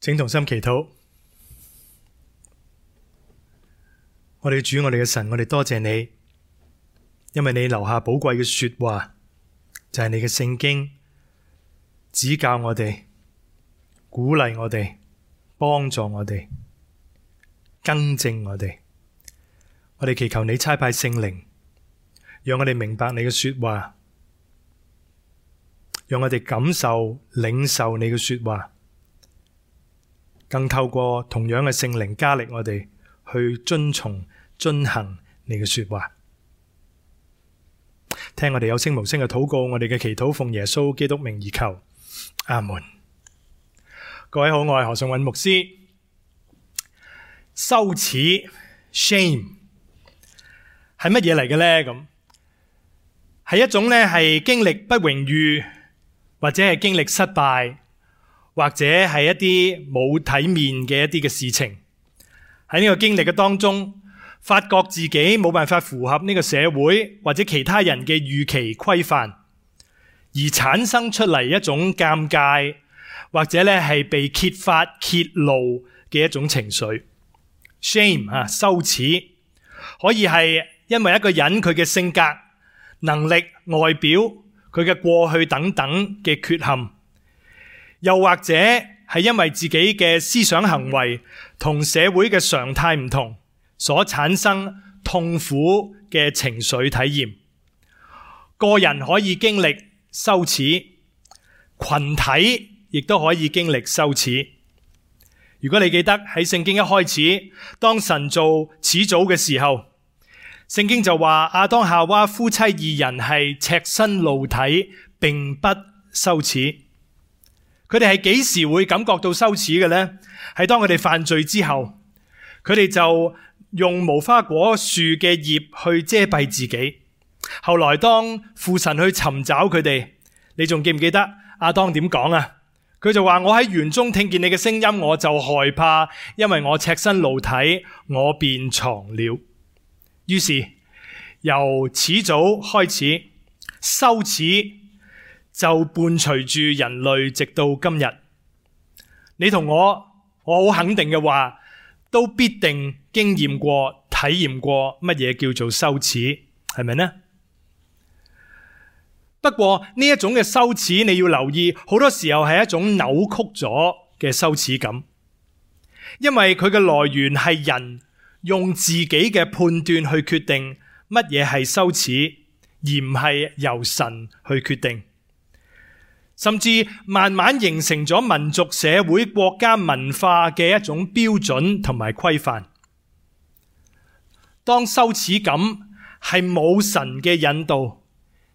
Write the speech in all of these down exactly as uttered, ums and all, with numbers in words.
請同心祈禱。我哋嘅主，我哋嘅神，我哋多謝你，因為你留下寶貴嘅說話，就係你嘅聖經，指教我哋，鼓勵我哋，幫助我哋，更正我哋。我哋祈求你差派聖靈，讓我哋明白你嘅說話，讓我哋感受領受你嘅說話，更透過同樣嘅聖靈加力我哋去遵從遵行你嘅說話。聽我哋有聲無聲嘅禱告，我哋嘅祈禱奉耶穌基督名而求，阿門。各位好，我係何尚韻牧師。羞恥 shame 係乜嘢嚟嘅呢？咁係一種咧係經歷不榮譽，或者係經歷失敗，或者係一啲冇體面嘅一啲嘅事情。喺呢個經歷嘅當中，發覺自己冇辦法符合呢個社會或者其他人嘅預期規範，而產生出嚟一種尷尬，或者咧係被揭發揭露嘅一種情緒。shame 啊，羞恥，可以係因為一個人佢嘅性格、能力、外表、佢嘅過去等等嘅缺陷，又或者係因為自己嘅思想行為同社會嘅常態唔同，所產生痛苦嘅情緒體驗。個人可以經歷羞恥，群體亦都可以經歷羞恥。如果你記得喺聖經一開始，當神造始祖嘅時候，聖經就話亞當夏娃夫妻二人係赤身露體，並不羞恥。佢哋係幾時會感覺到羞恥嘅呢？係當佢哋犯罪之後，佢哋就用無花果樹嘅葉去遮蔽自己。後來當父神去尋找佢哋，你仲記唔記得亞當點講啊？佢就話：我喺園中聽見你嘅聲音，我就害怕，因為我赤身露體，我便藏了。於是由始祖開始，羞恥就伴隨住人類直到今日。你同我，我好肯定嘅話，都必定經驗過、體驗過乜嘢叫做羞恥，係咪呢？不過呢一種嘅羞恥，你要留意，好多時候係一種扭曲咗嘅羞恥感，因為佢嘅來源係人用自己嘅判斷去決定乜嘢係羞恥，而唔係由神去決定，甚至慢慢形成咗民族、社會、國家文化嘅一種標準同埋規範。當羞恥感係冇神嘅引導，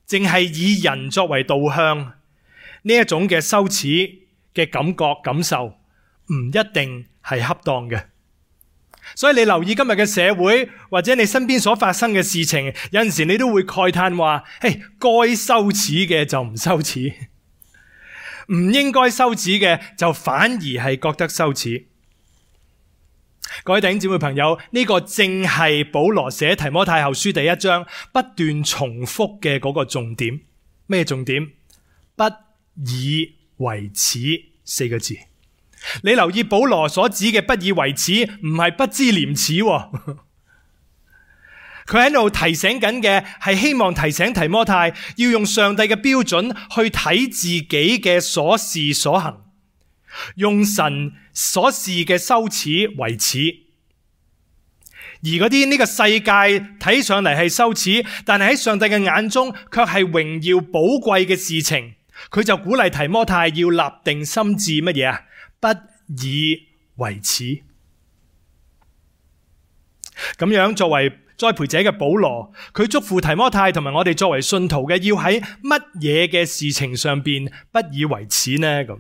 淨係以人作為導向，呢一種嘅羞恥嘅感覺感受唔一定係恰當嘅。所以你留意今日嘅社會，或者你身邊所發生嘅事情，有陣時你都會慨嘆話：嘿，該羞恥嘅就唔羞恥，唔應該羞恥嘅就反而係覺得羞恥。各位弟兄姊妹朋友，呢個正係保羅寫提摩太後書第一章不斷重複嘅嗰個重點。咩重點？不以為恥四個字。你留意保羅所指嘅不以為恥，唔係不知廉恥。佢喺度提醒緊嘅係希望提醒提摩太要用上帝嘅標準去睇自己嘅所事所行，用神所示嘅羞恥為恥。而嗰啲呢個世界睇上嚟係羞恥，但係喺上帝嘅眼中卻係榮耀寶貴嘅事情，佢就鼓勵提摩太要立定心志乜嘢啊？不以為恥。咁樣作為栽培者嘅保羅，佢祝福提摩太同埋我哋作為信徒嘅，要喺乜嘢嘅事情上邊不以為恥呢？咁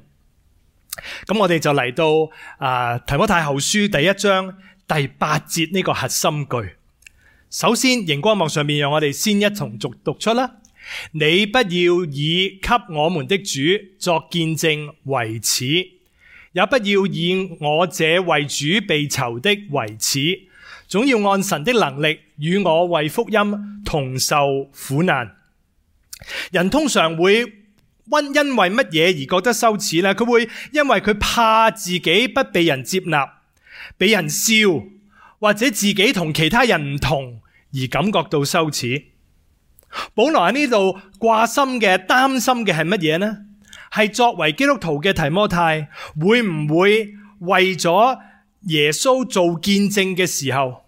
咁我哋就嚟到啊提摩太後書第一章第八節呢個核心句。首先，熒光幕上面讓我哋先一同讀讀出啦。你不要以給我們的主作見證為恥，也不要以我這為主被囚的為恥，總要按神的能力與我為福音同受苦難。人通常會因為乜嘢而覺得羞恥呢？佢會因為佢怕自己不被人接納，被人笑，或者自己同其他人唔同而感覺到羞恥。保羅喺呢度掛心嘅、擔心嘅係乜嘢呢？係作為基督徒嘅提摩太，會唔會為咗耶穌做見證嘅時候，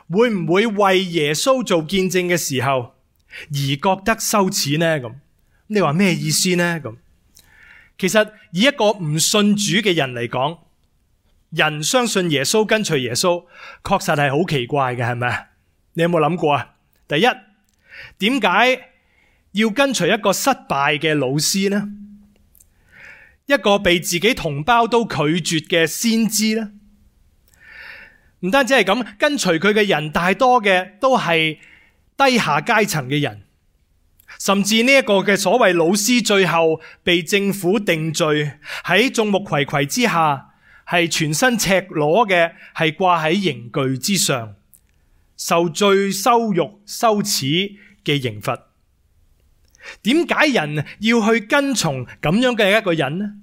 會唔會為耶穌做見證嘅時候而覺得羞恥呢？咁你話咩意思呢？咁其實以一個唔信主嘅人嚟講，人相信耶穌、跟隨耶穌，確實係好奇怪嘅，係咪？你有冇諗過啊？第一，點解要跟隨一個失敗嘅老師呢？一個被自己同胞都拒絕嘅先知呢？唔單止係咁，跟隨佢嘅人大多嘅都係低下階層嘅人，甚至呢一個嘅所謂老師最後被政府定罪，喺眾目睽睽之下係全身赤裸嘅，係掛喺刑具之上，受最羞辱羞恥嘅刑罰。點解人要去跟從咁樣嘅一個人呢？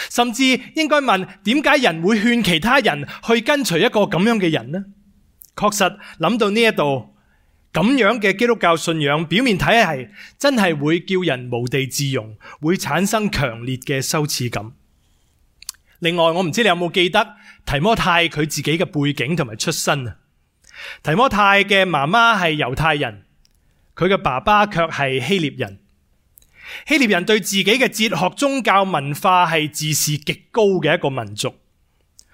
甚至應該問，點解人會勸其他人去跟隨一個咁樣嘅人呢？確實諗到呢一度，咁樣嘅基督教信仰表面睇係真係會叫人無地自容，會產生強烈嘅羞恥感。另外，我唔知你有冇記得提摩太佢自己嘅背景同埋出身啊？提摩太嘅媽媽係猶太人，佢嘅爸爸卻係希臘人。希臘人對自己嘅哲學、宗教、文化係自視極高嘅一個民族。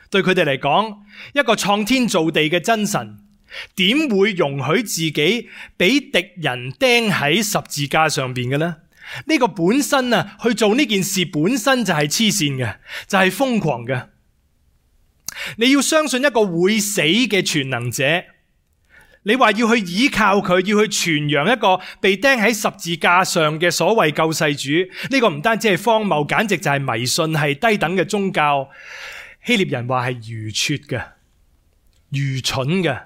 對佢哋嚟講，一個創天造地嘅真神，點會容許自己俾敵人釘喺十字架上邊嘅呢？呢個本身啊，去做呢件事本身就係黐線嘅，就係瘋狂嘅。你要相信一個會死嘅全能者，你話要去依靠佢，要去傳揚一個被釘喺十字架上嘅所謂救世主，呢個唔單止係荒謬，簡直就係迷信，係低等嘅宗教。希臘人話係愚拙嘅、愚蠢嘅。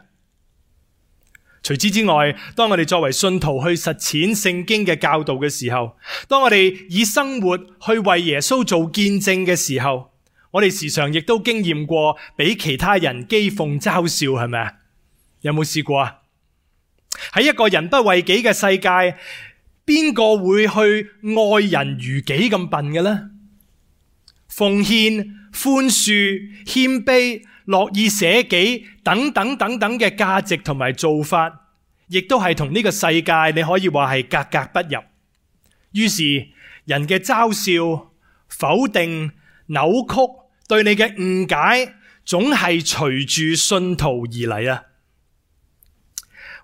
除此之外，當我哋作為信徒去實踐聖經嘅教導嘅時候，當我哋以生活去為耶穌做見證嘅時候，我哋時常亦都經驗過俾其他人譏諷嘲笑，係咪啊？有冇試過啊？喺一個人不為己嘅世界，邊個會去愛人如己咁笨嘅呢？奉獻、寬恕、謙卑、樂意捨己等等等等嘅價值同埋做法，亦都係同呢個世界你可以話係格格不入。於是人嘅嘲笑、否定、扭曲，對你嘅誤解，總係隨住信徒而嚟啊！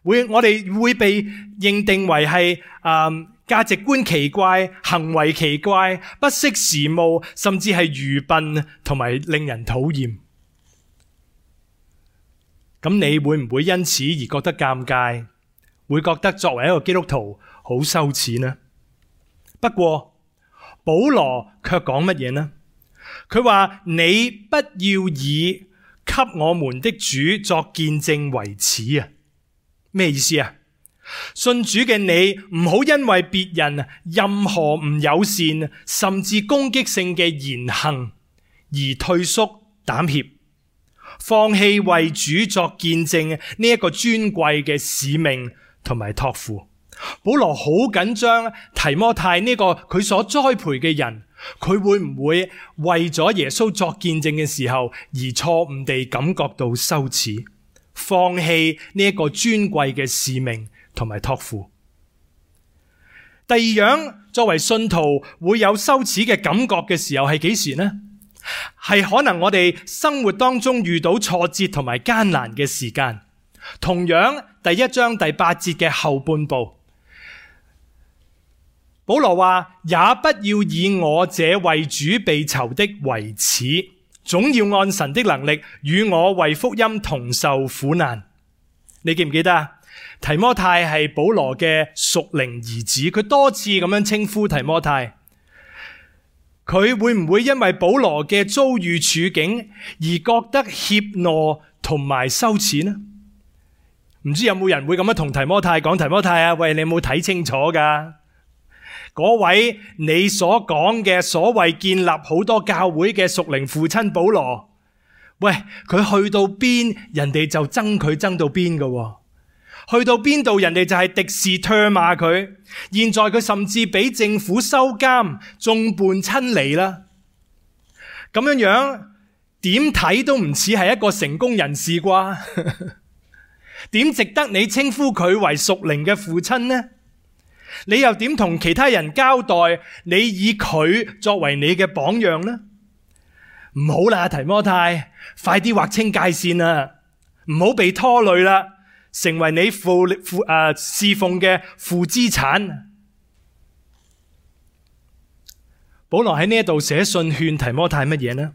會我哋會被認定為係誒價值觀奇怪、行為奇怪、不識時務，甚至係愚笨同埋令人討厭。咁你會唔會因此而覺得尷尬？會覺得作為一個基督徒好羞恥呢？不過保羅卻講乜嘢呢？佢話你不要以給我們的主作見證為恥啊！咩意思啊？信主嘅你唔好因為別人任何唔友善甚至攻擊性嘅言行而退縮膽怯，放棄為主作見證呢一個尊貴嘅使命同埋託付。保羅好緊張提摩太呢個佢所栽培嘅人，佢會唔會為咗耶穌作見證嘅時候而錯誤地感覺到羞恥，放棄呢一個尊貴嘅使命同埋託付。第二樣，作為信徒會有羞恥嘅感覺嘅時候係幾時呢？係可能我哋生活當中遇到挫折同埋艱難嘅時間。同樣第一章第八節嘅後半部，保羅話，也不要以我這為主被囚的為恥，總要按神的能力與我為福音同受苦難。你記唔記得啊？提摩太係保羅嘅屬靈兒子，佢多次咁樣稱呼提摩太。佢會唔會因為保羅嘅遭遇處境而覺得怯懦同埋羞恥呢？唔知有冇人會咁樣同提摩太講，提摩太啊，喂，你有冇睇清楚噶？嗰位你所講嘅所謂建立好多教會嘅屬靈父親保羅，喂，佢去到邊，人哋就憎佢憎到邊㗎喎。去到邊度，人哋就係敵視唾罵佢。現在佢甚至俾政府收監，眾叛親離啦。咁樣樣點睇都唔似係一個成功人士啩？點值得你稱呼佢為屬靈嘅父親呢？你又點同其他人交代？你以佢作為你嘅榜樣呢？唔好啦，提摩太，快啲劃清界線啦，唔好被拖累啦，成為你父父誒侍奉嘅負資產。保羅喺呢一度寫信勸提摩太乜嘢呢？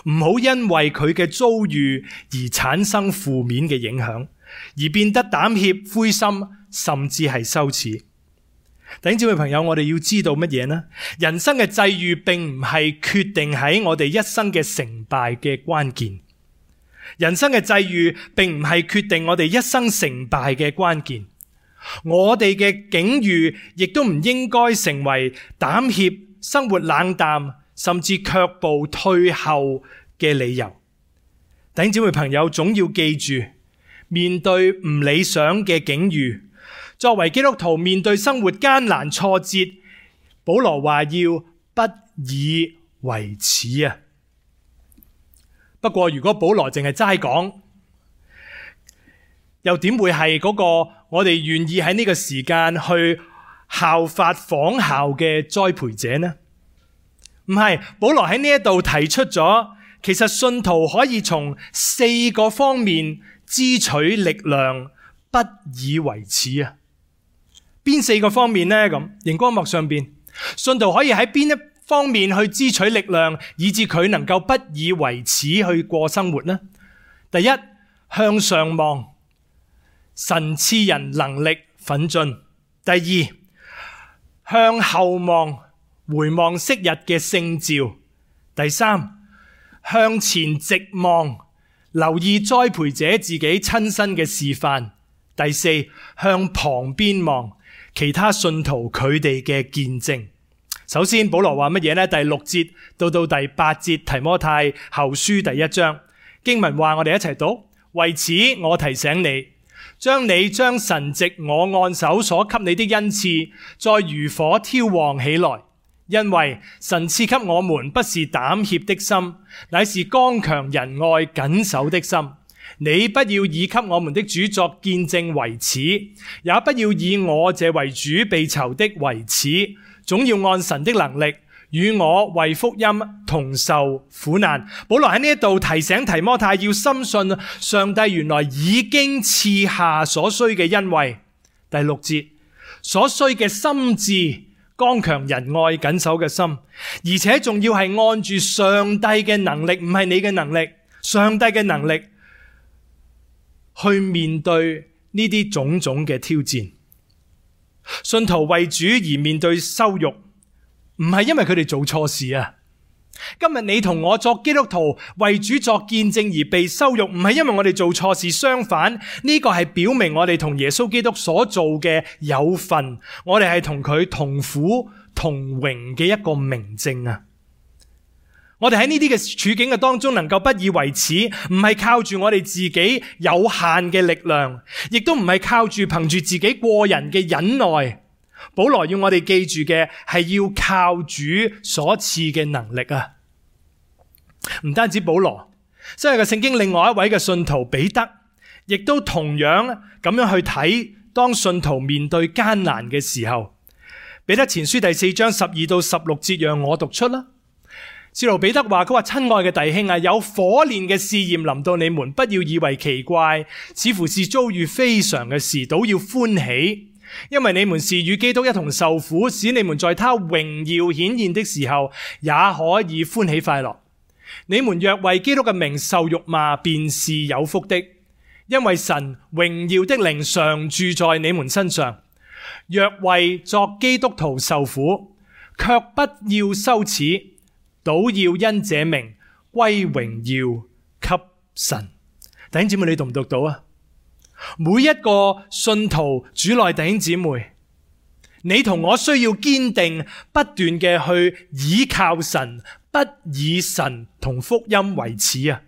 唔好因為佢嘅遭遇而產生負面嘅影響，而變得膽怯、灰心，甚至係羞恥。弟兄姊妹朋友，我哋要知道乜嘢呢？人生嘅際遇並唔係決定喺我哋一生嘅成敗嘅關鍵。人生嘅際遇並唔係決定我哋一生成敗嘅關鍵。我哋嘅境遇亦都唔應該成為膽怯、生活冷淡，甚至卻步退後嘅理由。弟兄姊妹朋友，總要記住，面對唔理想嘅境遇，作為基督徒面對生活艱難挫折，保羅話要不以為恥啊。不過如果保羅淨係齋講，又點會係嗰個我哋願意喺呢個時間去效法仿效嘅栽培者呢？唔係，保羅喺呢一度提出咗，其實信徒可以從四個方面支取力量，不以為恥啊。邊四個方面呢？咁熒光幕上邊，信徒可以喺邊一方面去支取力量，以致佢能夠不以為恥去過生活呢？第一，向上望，神賜人能力奮進。第二，向後望，回望昔日嘅聖召。第三，向前直望，留意栽培者自己親身嘅示範。第四，向旁邊望，其他信徒佢哋嘅見證。首先保羅話乜嘢呢？第六節到到第八節，提摩太後書第一章經文話，我哋一齊讀。為此我提醒你，將你將神藉我按手所給你的恩賜再如火挑旺起來，因為神賜給我們不是膽怯的心，乃是剛強仁愛謹守的心。你不要以給我們的主作見證為恥，也不要以我這為主被囚的為恥，總要按神的能力與我為福音同受苦難。保羅喺呢一度提醒提摩太要深信上帝原來已經賜下所需嘅恩惠。第六節，所需嘅心志，剛強仁愛謹守嘅心，而且仲要係按住上帝嘅能力，唔係你嘅能力，上帝嘅能力去面對呢啲種種嘅挑戰。信徒為主而面對羞辱，唔係因為佢哋做錯事啊。今日你同我作基督徒為主作見證而被羞辱，唔係因為我哋做錯事，相反呢個係表明我哋同耶穌基督所做嘅有份，我哋係同佢同苦同榮嘅一個明證啊。我哋喺呢啲嘅處境嘅當中能夠不以為恥，唔係靠住我哋自己有限嘅力量，亦都唔係靠住憑住自己過人嘅忍耐。保羅要我哋記住嘅係要靠主所賜嘅能力啊！唔單止保羅，新約嘅聖經另外一位嘅信徒彼得，亦都同樣咁樣去睇，當信徒面對艱難嘅時候。彼得前書第四章十二到十六節，讓我讀出啦。使徒彼得話，佢話，親愛嘅弟兄啊，有火煉嘅試驗臨到你們，不要以為奇怪，似乎是遭遇非常嘅事，倒要歡喜，因為你們是與基督一同受苦，使你們在他榮耀顯現的時候，也可以歡喜快樂。你們若為基督嘅名受辱罵，便是有福的，因為神榮耀的靈常住在你們身上。若為作基督徒受苦，卻不要羞恥，倒要因這名歸榮耀給神。弟兄姊妹，你讀唔讀到啊？每一個信徒主內弟兄姊妹，你同我需要堅定不斷嘅去倚靠神，不以神同福音為恥啊！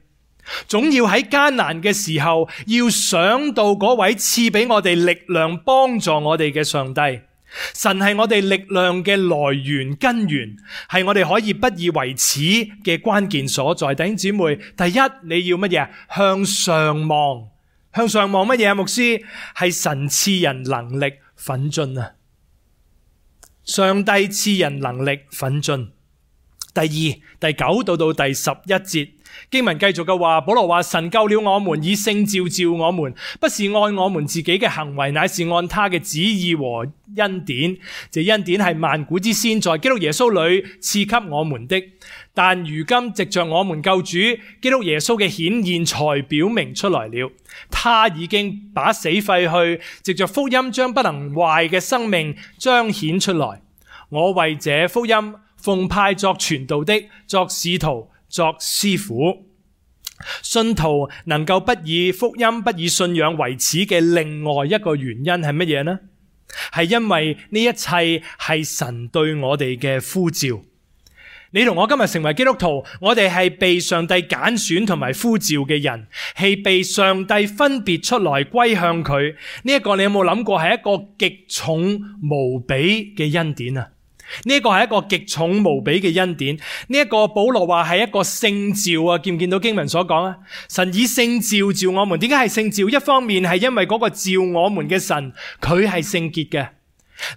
總要喺艱難嘅時候，要想到嗰位賜俾我哋力量幫助我哋嘅上帝。神係我哋力量嘅來源根源，係我哋可以不以為恥嘅關鍵所在。弟兄姊妹，第一你要乜嘢？向上望。向上望乜嘢啊？牧師，係神賜人能力奮進啊！上帝賜人能力奮進。第二，第九到到第十一節經文繼續嘅話，保羅話，神救了我們，以聖召召我們，不是按我們自己嘅行為，乃是按他嘅旨意和恩典。這恩典係萬古之先在基督耶穌裏賜給我們的，但如今藉着我們救主基督耶穌嘅顯現才表明出來了。他已經把死廢去，藉着福音將不能壞嘅生命彰顯出來。我為這福音奉派作傳道的，作使徒，作師傅。信徒能夠不以福音、不以信仰為恥嘅另外一個原因係乜嘢呢？係因為呢一切係神對我哋嘅呼召。你同我今日成為基督徒，我哋係被上帝揀選同埋呼召嘅人，係被上帝分別出來歸向佢。呢一個你有冇諗過係一個極重無比嘅恩典啊？呢一個係一個極重無比嘅恩典。呢一個保羅話係一個聖召啊，見唔見到經文所講啊？神以聖召召我們，點解係聖召？一方面係因為嗰個召我們嘅神佢係聖潔嘅，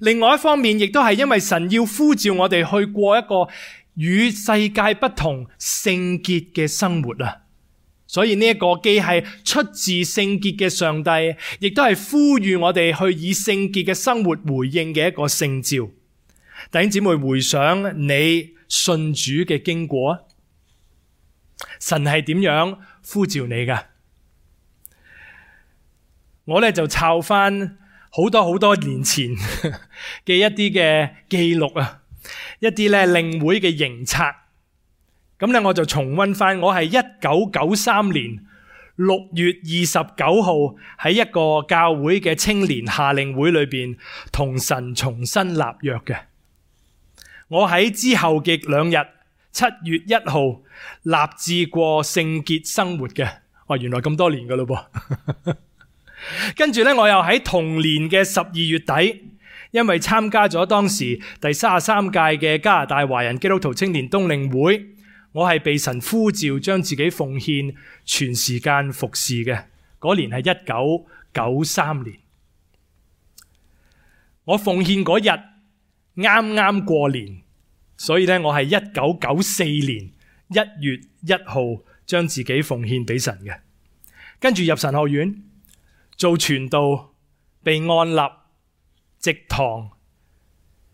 另外一方面亦都係因為神要呼召我哋去過一個與世界不同聖潔嘅生活啊。所以呢一個既係出自聖潔嘅上帝，亦都係呼籲我哋去以聖潔嘅生活回應嘅一個聖召。弟兄姊妹，回想你信主嘅經過啊，神係點樣呼召你噶？我咧就抄翻好多好多年前嘅一啲嘅記錄啊，一啲咧領會嘅營冊。咁咧我就重溫翻，我係一九九三年六月二十九號喺一個教會嘅青年夏令會裏邊同神重新立約嘅。我喺之後嘅兩日，七月一號立志過聖潔生活嘅。哇，原來咁多年噶咯噃。跟住咧，我又喺同年嘅十二月底，因為參加咗當時第三十三屆嘅加拿大華人基督徒青年冬令會，我係被神呼召將自己奉獻全時間服侍嘅。嗰年係一九九三年，我奉獻嗰日啱啱過年，所以咧我係一九九四年一月一號將自己奉獻俾神嘅。跟住入神學院做傳道，被按立植堂，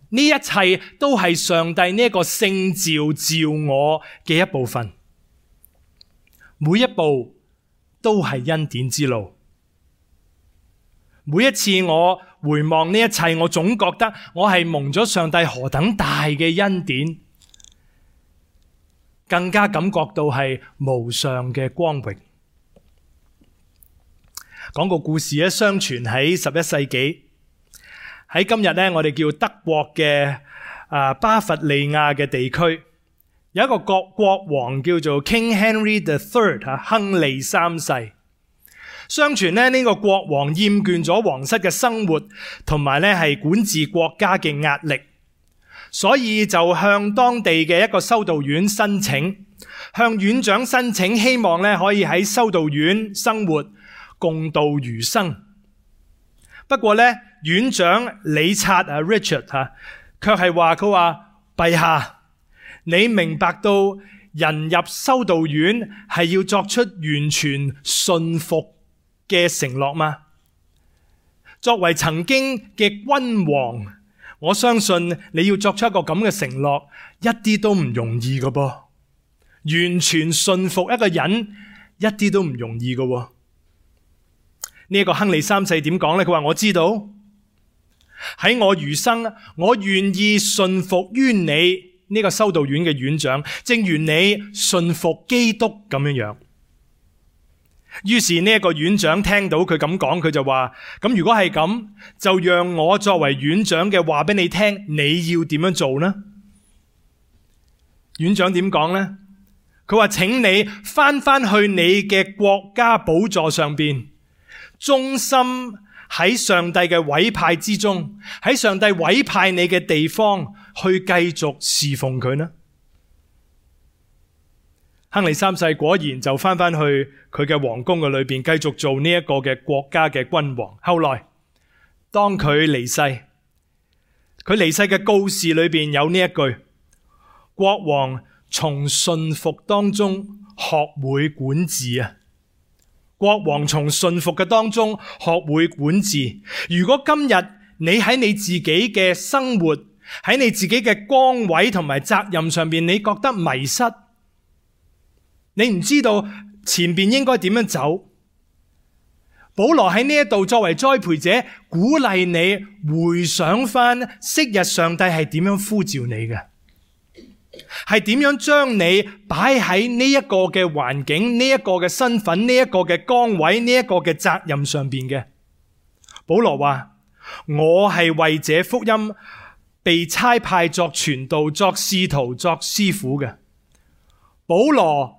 呢一切都係上帝呢一個聖召召我嘅一部分，每一步都係恩典之路。每一次我回望呢一切，我總覺得我係蒙咗上帝何等大嘅恩典，更加感覺到係無上嘅光榮。講個故事咧，相傳喺十一世紀，喺今日咧，我哋叫德國嘅啊巴伐利亞嘅地區，有一個國國王叫做 King Henry the Third 啊，亨利三世。相傳咧，呢個國王厭倦咗皇室嘅生活，同埋咧係管治國家嘅壓力，所以就向當地嘅一個修道院申請，向院長申請，希望咧可以喺修道院生活，共度餘生。不過咧，院長李察啊 Richard 吓，卻係話佢話陛下，你明白到人入修道院係要作出完全信服嘅承諾嗎？作為曾經嘅君王，我相信你要作出一個咁嘅承諾，一啲都唔容易㗎噃。完全信服一個人，一啲都唔容易㗎。呢一個亨利三世點講呢？佢話我知道喺我餘生，我願意信服於你呢個修道院嘅院長，正如你信服基督咁樣樣。於是呢一個院長聽到佢咁講，佢就話：咁如果係咁，就讓我作為院長嘅話俾你聽，你要點樣做呢？院長點講呢？佢話：請你翻翻去你嘅國家寶座上邊，忠心喺上帝嘅委派之中，喺上帝委派你嘅地方去繼續侍奉佢呢？亨利三世果然就翻返去佢嘅皇宮嘅裏邊，繼續做呢一個嘅國家嘅君王。後來當佢離世，佢離世嘅告示裏邊有呢一句：國王從順服當中學會管治啊！國王從順服嘅當中學會管治。如果今日你喺你自己嘅生活，喺你自己嘅崗位同埋責任上邊，你覺得迷失，你唔知道前邊應該點樣走，保羅喺呢一度作為栽培者，鼓勵你回想翻昔日上帝係點樣呼召你嘅，係點樣將你擺喺呢一個嘅環境、呢一個嘅身份、呢一個嘅崗位、呢一個嘅責任上邊嘅。保羅話：我係為這福音被差派作傳道、作使徒、作師傅嘅。保羅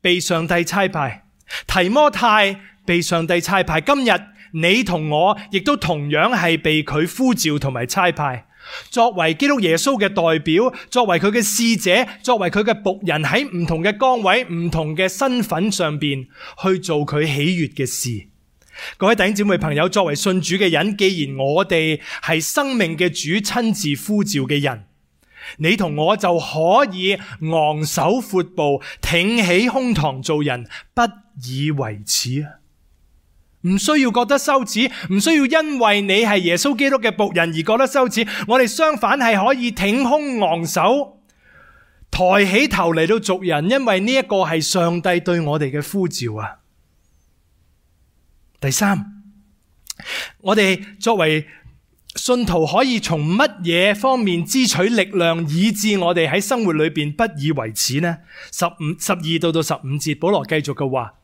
被上帝差派，提摩太被上帝差派，今日你同我亦都同樣係被佢呼召同埋差派，作為基督耶穌嘅代表，作為佢嘅使者，作為佢嘅僕人，喺唔同嘅崗位、唔同嘅身份上邊去做佢喜悅嘅事。各位弟兄姊妹朋友，作為信主嘅人，既然我哋係生命嘅主親自呼召嘅人，你同我就可以昂首闊步，挺起胸膛做人，不以為恥啊！唔需要覺得羞恥，唔需要因為你係耶穌基督嘅僕人而覺得羞恥。我哋相反係可以挺胸昂首，抬起頭嚟到做人，因為呢一個係上帝對我哋嘅呼召啊！第三，我哋作為信徒可以從乜嘢方面支取力量，以致我哋喺生活裏邊不以為恥呢？十五、十二到到十五節，保羅繼續嘅話，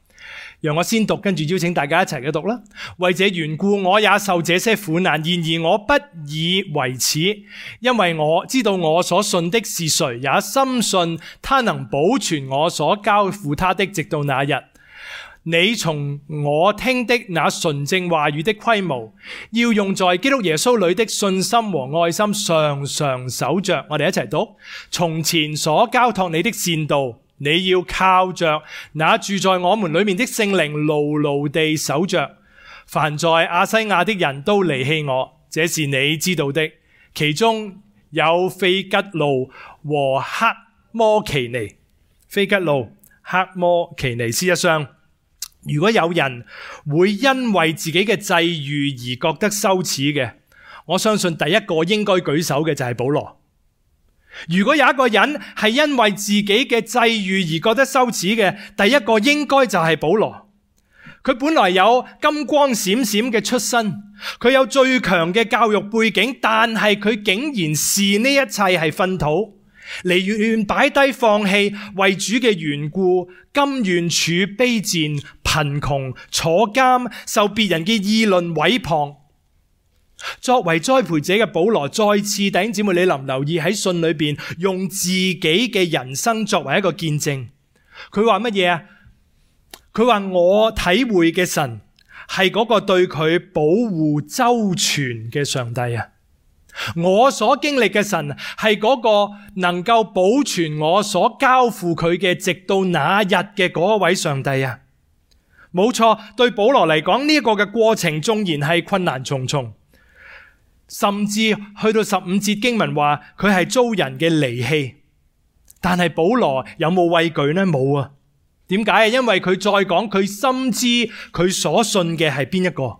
讓我先讀，跟住邀請大家一齊嘅讀啦。為這緣故，我也受這些苦難，然而我不以為恥，因為我知道我所信的是誰，也深信他能保存我所交付他的，直到那日。你從我聽的那純正話語的規模，要用在基督耶穌裏的信心和愛心，常常守着。我哋一齊讀：從前所交託你的善道，你要靠着那住在我們裏面的聖靈，牢牢地守着。凡在亞西亞的人都離棄我，這是你知道的。其中有腓吉路和黑摩奇尼。腓吉路、黑摩奇尼。事實上，如果有人會因為自己嘅際遇而覺得羞恥嘅，我相信第一個應該舉手嘅就係保羅。如果有一個人係因為自己嘅際遇而覺得羞恥嘅，第一個應該就係保羅。佢本來有金光閃閃嘅出身，佢有最強嘅教育背景，但係佢竟然視呢一切係糞土，寧願擺低放棄，為主嘅緣故，甘願處卑賤、貧窮、坐監，受別人嘅議論毀謗。作為栽培者嘅保羅，再次弟兄姊妹，你留唔留意喺信裏邊用自己嘅人生作為一個見證？佢話乜嘢啊？佢話我體會嘅神係嗰個對佢保護周全嘅上帝啊！我所經歷嘅神係嗰個能夠保存我所交付佢嘅直到那日嘅嗰位上帝啊！冇錯，對保羅嚟講，呢一個嘅過程縱然係困難重重，甚至去到十五節經文話佢係遭人嘅離棄，但係保羅有冇畏懼呢？冇啊！點解啊？因為佢再講，佢深知佢所信嘅係邊一個。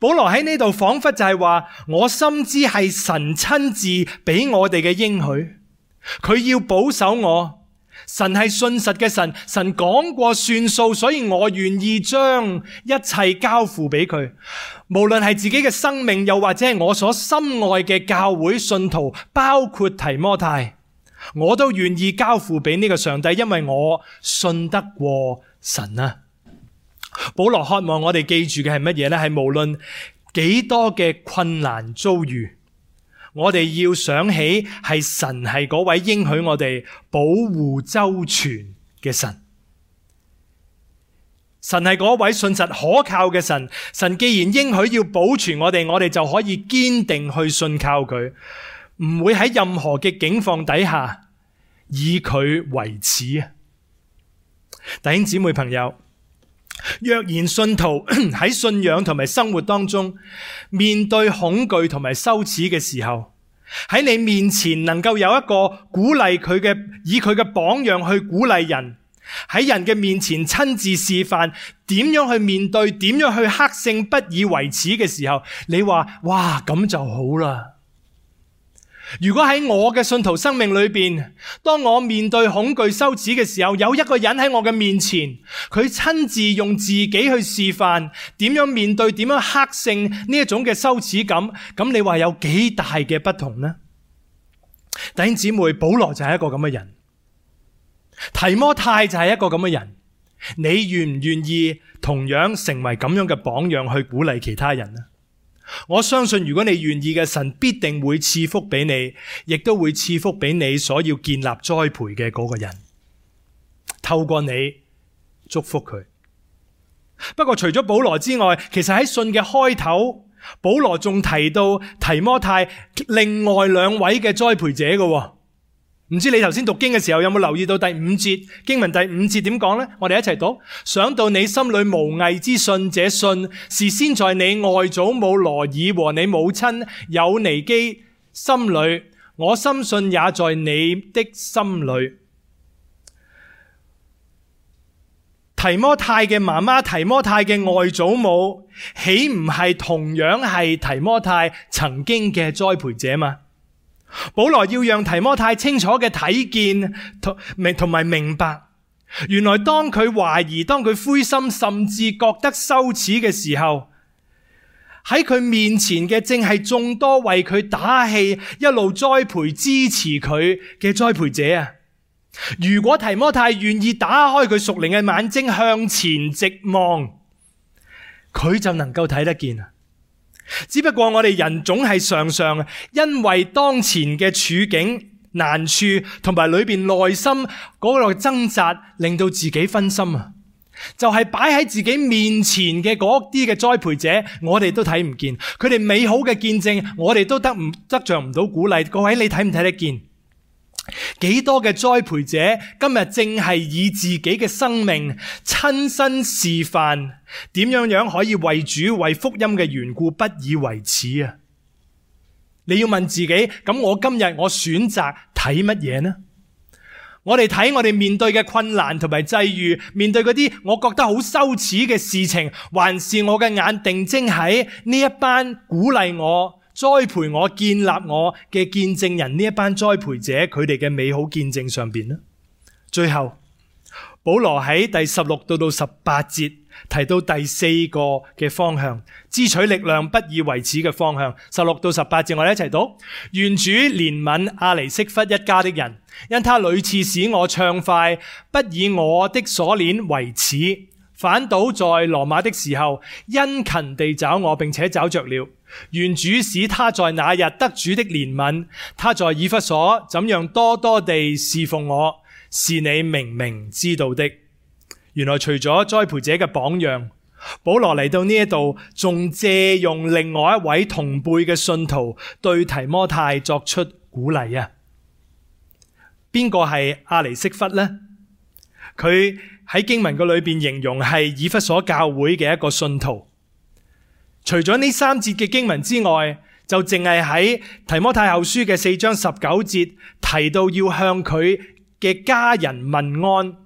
保羅喺呢度仿佛就係話，我深知係神親自俾我哋嘅應許，佢要保守我。神係信實嘅神，神講過算數，所以我願意將一切交付俾佢。無論係自己嘅生命，又或者係我所深愛嘅教會信徒，包括提摩太，我都願意交付俾呢個上帝，因為我信得過神啊。保羅渴望我哋記住嘅係乜嘢呢？係無論幾多嘅困難遭遇，我哋要想起係神係嗰位應許我哋保護周全嘅神。神係嗰位信實可靠嘅神。神既然應許要保存我哋，我哋就可以堅定去信靠佢，唔會喺任何嘅境況底下以佢為恥啊！弟兄姊妹朋友，若然信徒喺信仰同埋生活當中面對恐懼同埋羞恥嘅時候，喺你面前能夠有一個鼓勵佢嘅，以佢嘅榜樣去鼓勵人，喺人嘅面前親自示範點樣去面對，點樣去克勝不以為恥嘅時候，你話哇，咁就好啦。如果喺我嘅信徒生命裏邊，當我面對恐懼羞恥嘅時候，有一個人喺我嘅面前，佢親自用自己去示範點樣面對，點樣克勝呢一種嘅羞恥感，咁你話有幾大嘅不同呢？弟兄姊妹，保羅就係一個咁嘅人，提摩太就係一個咁嘅人，你願唔願意同樣成為咁樣嘅榜樣去鼓勵其他人呢？我相信如果你願意嘅，神必定會賜福俾你，亦都會賜福俾你所要建立栽培嘅嗰個人，透過你祝福佢。不過除咗保羅之外，其實喺信嘅開頭，保羅仲提到提摩太另外兩位嘅栽培者嘅。唔知你頭先讀經嘅時候有冇留意到第五節經文第五節點講呢？我哋一齊讀。想到你心裏無偽之信，這信是先在你外祖母羅爾和你母親友尼基心裏，我深信也在你的心裏。提摩太嘅媽媽，提摩太嘅外祖母，豈唔係同樣係提摩太曾經嘅栽培者嗎？保羅要讓提摩太清楚嘅睇見同埋明白，原來當佢懷疑，當佢灰心，甚至覺得羞恥嘅時候，喺佢面前嘅正係眾多為佢打氣、一路栽培支持佢嘅栽培者啊！如果提摩太願意打開佢屬靈嘅眼睛向前直望，佢就能夠睇得見啊！只不過我哋人總係常常因為當前嘅處境難處同埋裏邊內心嗰個掙扎，令到自己分心啊！就係擺喺自己面前嘅嗰啲嘅栽培者，我哋都睇唔見佢哋美好嘅見證，我哋都得唔得着唔到鼓勵。各位，你睇唔睇得見？幾多嘅栽培者今日正係以自己嘅生命親身示範點樣樣可以為主為福音嘅緣故不以為恥啊！你要問自己，咁我今日我選擇睇乜嘢呢？我哋睇我哋面對嘅困難同埋際遇，面對嗰啲我覺得好羞恥嘅事情，還是我嘅眼定睛喺呢一班鼓勵我、栽培我、建立我嘅見證人，呢一班栽培者佢哋嘅美好見證上邊呢？最後保羅喺第十六到到十八節提到第四個嘅方向，支取力量不以為恥嘅方向。十六到十八節我哋一齊讀。願主憐憫阿尼色弗一家的人，因他屢次使我暢快，不以我的鎖鏈為恥，反倒在羅馬的時候殷勤地找我，並且找着了。願主使他在那日得主的憐憫，他在以弗所怎樣多多地侍奉我，是你明明知道的。原來除咗栽培者嘅榜樣，保羅嚟到呢一度仲借用另外一位同輩嘅信徒對提摩太作出鼓勵啊！邊個係阿尼色弗呢？佢喺經文嘅裏邊形容係以弗所教會嘅一個信徒。除咗呢三節嘅經文之外，就淨係喺提摩太後書嘅四章十九節提到要向佢嘅家人問安。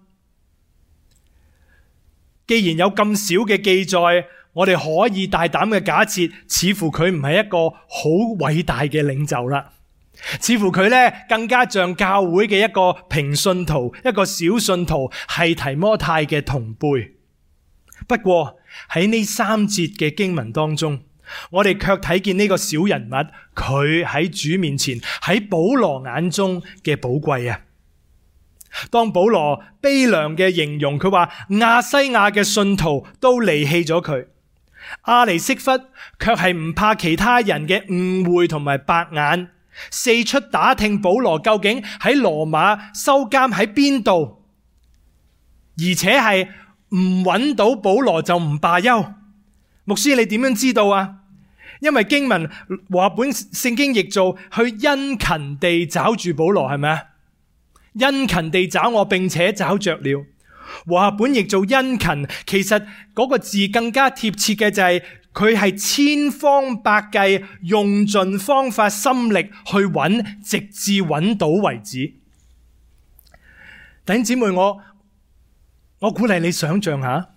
既然有咁少嘅記載，我哋可以大膽嘅假設，似乎佢唔係一個好偉大嘅領袖啦，似乎佢咧更加像教會嘅一個平信徒，一個小信徒，係提摩太嘅同輩。不過喺呢三節嘅經文當中，我哋卻睇見呢個小人物，佢喺主面前，喺保羅眼中嘅寶貴啊！當保羅悲涼嘅形容佢話亞西亞嘅信徒都離棄咗佢，阿尼色弗卻係唔怕其他人嘅誤會同埋白眼，四出打聽保羅究竟喺羅馬收監喺邊度，而且係唔揾到保羅就唔罷休。牧師，你點樣知道啊？因為經文和合本聖經譯做去殷勤地找住保羅，係咪啊？殷勤地找我，並且找着了。和合本譯做殷勤，其實嗰個字更加貼切嘅就係佢係千方百計用盡方法心力去揾，直至揾到為止。弟兄姊妹，我我鼓勵你想象下，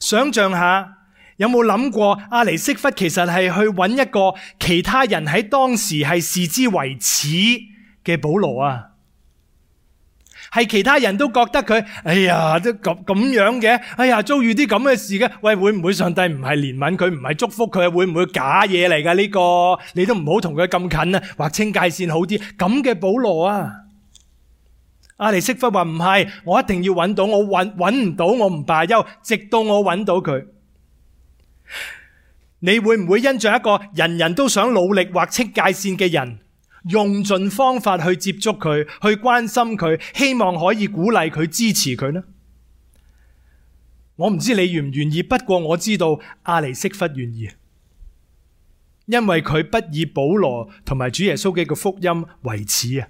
想象下有冇諗過阿尼色弗其實係去揾一個其他人喺當時係視之為恥嘅保羅啊？係其他人都覺得佢，哎呀，都咁咁樣嘅，哎呀，遭遇啲咁嘅事嘅，喂，會唔會上帝唔係憐憫佢，唔係祝福佢，會唔會假嘢嚟㗎呢個？你都唔好同佢咁近啊，劃清界線好啲。咁嘅保羅啊，阿尼色弗話唔係，我一定要揾到，我揾揾唔到，我唔罷休，直到我揾到佢。你會唔會因着一個人人都想努力劃清界線嘅人，用盡方法去接觸佢，去關心佢，希望可以鼓勵佢、支持佢呢？我唔知你願唔願意，不過我知道阿尼色弗願意，因為佢不以保羅同埋主耶穌嘅福音為恥啊！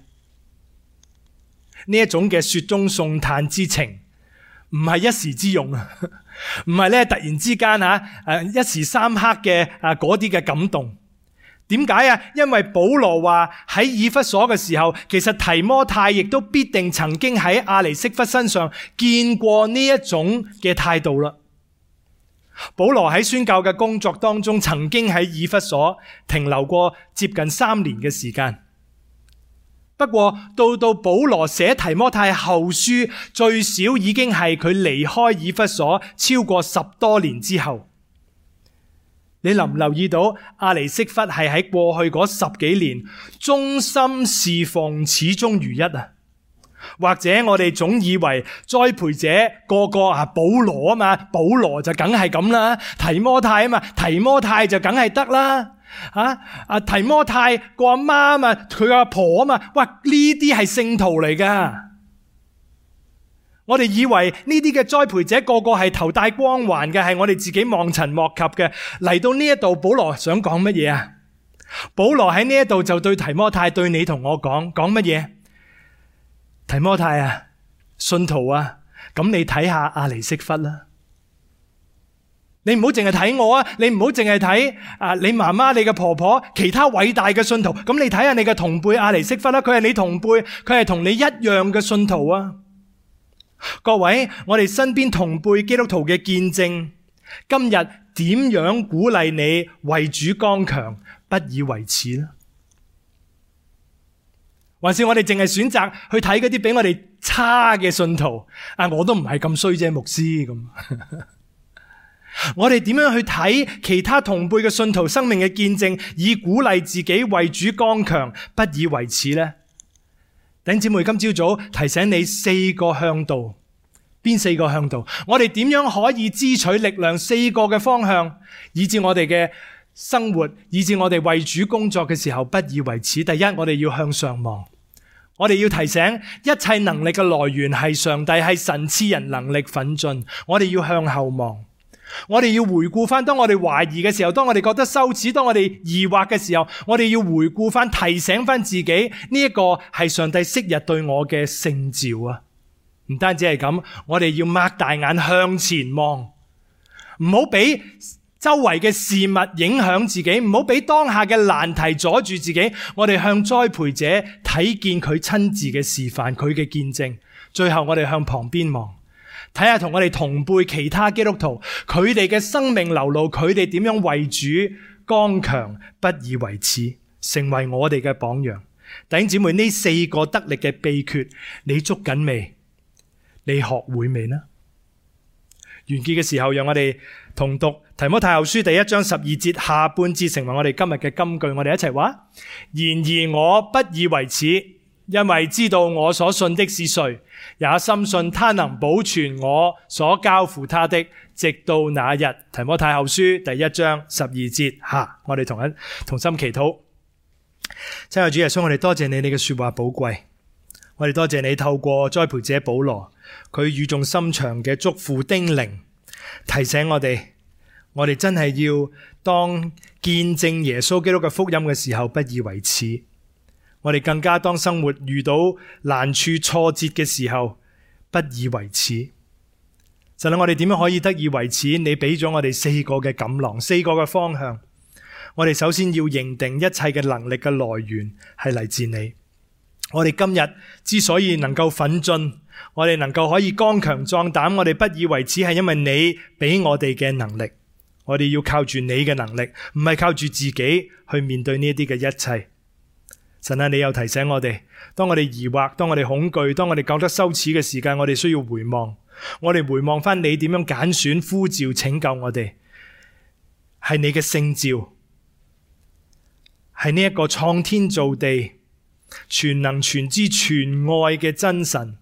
呢一種嘅雪中送炭之情，唔係一時之用啊，唔係咧突然之間吓誒一時三刻嘅啊嗰啲嘅感動。點解啊？因為保羅話喺以弗所嘅時候，其實提摩太亦都必定曾經喺阿尼色弗身上見過呢一種嘅態度啦。保羅喺宣教嘅工作當中，曾經喺以弗所停留過接近三年嘅時間。不過到到保羅寫提摩太後書，最少已經係佢離開以弗所超過十多年之後。你留唔留意到阿尼色弗係喺過去嗰十幾年忠心侍奉始終如一啊？或者我哋總以為栽培者個個啊保羅啊嘛，保羅就梗係咁啦，提摩太啊嘛，提摩太就梗係得啦。啊啊提摩太個阿媽啊嘛，佢個阿婆啊嘛，哇呢啲係聖徒嚟噶。我哋以為呢啲嘅栽培者個個係頭戴光環嘅，係我哋自己望塵莫及嘅。嚟到呢一度，保羅想講乜嘢啊？保羅喺呢一度就對提摩太，對你同我講，講乜嘢？提摩太啊，信徒啊，咁你睇下阿尼色弗啦。你唔好淨係睇我啊，你唔好淨係睇啊你媽媽、你嘅婆婆、其他偉大嘅信徒。咁你睇下你嘅同輩阿尼色弗啦，佢係你同輩，佢係同你一樣嘅信徒啊。各位，我哋身邊同輩基督徒嘅見證，今日點樣鼓勵你為主剛強，不以為恥呢？還是我哋淨係選擇去睇嗰啲比我哋差嘅信徒？啊，我都唔係咁衰啫，牧師咁。我哋點樣去睇其他同輩嘅信徒生命嘅見證，以鼓勵自己為主剛強，不以為恥呢？弟兄姊妹，今朝早提醒你四個向導。邊四個向導？我哋點樣可以支取力量？四個嘅方向，以致我哋嘅生活，以致我哋為主工作嘅時候不以為恥。第一，我哋要向上望。我哋要提醒，一切能力嘅來源係上帝，係神賜人能力奮進。我哋要向後望。我哋要回顧翻，當我哋懷疑嘅時候，當我哋覺得羞恥，當我哋疑惑嘅時候，我哋要回顧翻，提醒翻自己，呢一個係上帝昔日對我嘅聖召啊！唔單止係咁，我哋要擘大眼向前望，唔好俾周圍嘅事物影響自己，唔好俾當下嘅難題阻住自己。我哋向栽培者睇見佢親自嘅示範，佢嘅見證。最後我哋向旁邊望，睇下同我哋同輩其他基督徒，佢哋嘅生命流露，佢哋點樣為主剛強，不以為恥，成為我哋嘅榜樣。弟兄姊妹，呢四個得力嘅秘訣，你捉緊未？你學會未呢？完結嘅時候，讓我哋同讀提摩太後書第一章十二節下半節，成為我哋今日嘅金句。我哋一齊話：然而我不以為恥，因為知道我所信的是誰，也深信他能保存我所交付他的，直到那日。提摩太後書第一章十二節下，我哋同一同心祈禱。親愛的主耶穌，我哋多謝你，你嘅說話寶貴。我哋多謝你透過栽培者保羅，佢語重心長嘅囑咐叮嚀，提醒我哋，我哋真係要當見證耶穌基督嘅福音嘅時候，不以為恥。我哋更加當生活遇到難處挫折嘅時候，不以為恥。神啊，我哋點樣可以得以為恥？你俾咗我哋四個嘅錦囊，四個嘅方向。我哋首先要認定一切嘅能力嘅來源係嚟自你。我哋今日之所以能夠奮進，我哋能夠可以剛強壯膽，我哋不以為恥，係因為你俾我哋嘅能力。我哋要靠住你嘅能力，唔係靠住自己去面對呢一啲嘅一切。神啊，你又提醒我哋，當我哋疑惑，當我哋恐懼，當我哋覺得羞恥嘅時間，我哋需要回望。我哋回望翻你點樣揀選、呼召、拯救我哋，係你嘅聖召，係呢一個創天造地、全能全知全愛嘅真神。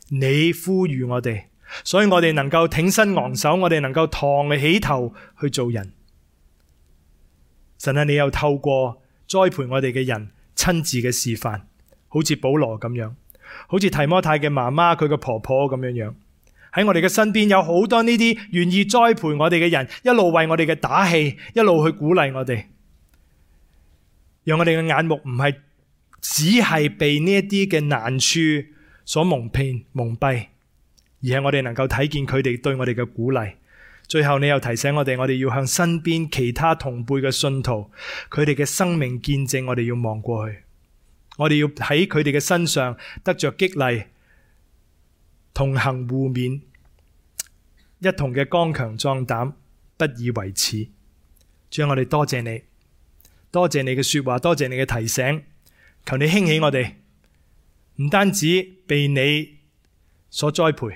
你呼籲我哋，所以我哋能夠挺身昂首，我哋能夠抬起頭去做人。神啊，你又透過栽培我哋嘅人親自嘅示範，好似保羅咁樣，好似提摩太嘅媽媽佢嘅婆婆咁樣樣，喺我哋嘅身邊有好多呢啲願意栽培我哋嘅人，一路為我哋嘅打氣，一路去鼓勵我哋，讓我哋嘅眼目唔係只係被呢一啲嘅難處所蒙騙蒙蔽，而係我哋能夠睇見佢哋對我哋嘅鼓勵。最後你又提醒我哋，我哋要向身邊其他同輩嘅信徒，佢哋嘅生命見證，我哋要望過去，我哋要喺佢哋嘅身上得着激勵，同行互勉，一同嘅剛強壯膽，不以為恥。主啊，我哋多謝你，多謝你嘅說話，多謝你嘅提醒，求你興起我哋，唔單止被你所栽培，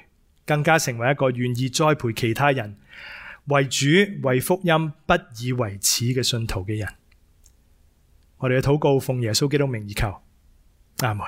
更加成為一個願意栽培其他人，為主為福音不以為恥嘅信徒嘅人。我哋嘅禱告奉耶穌基督名而求，阿門。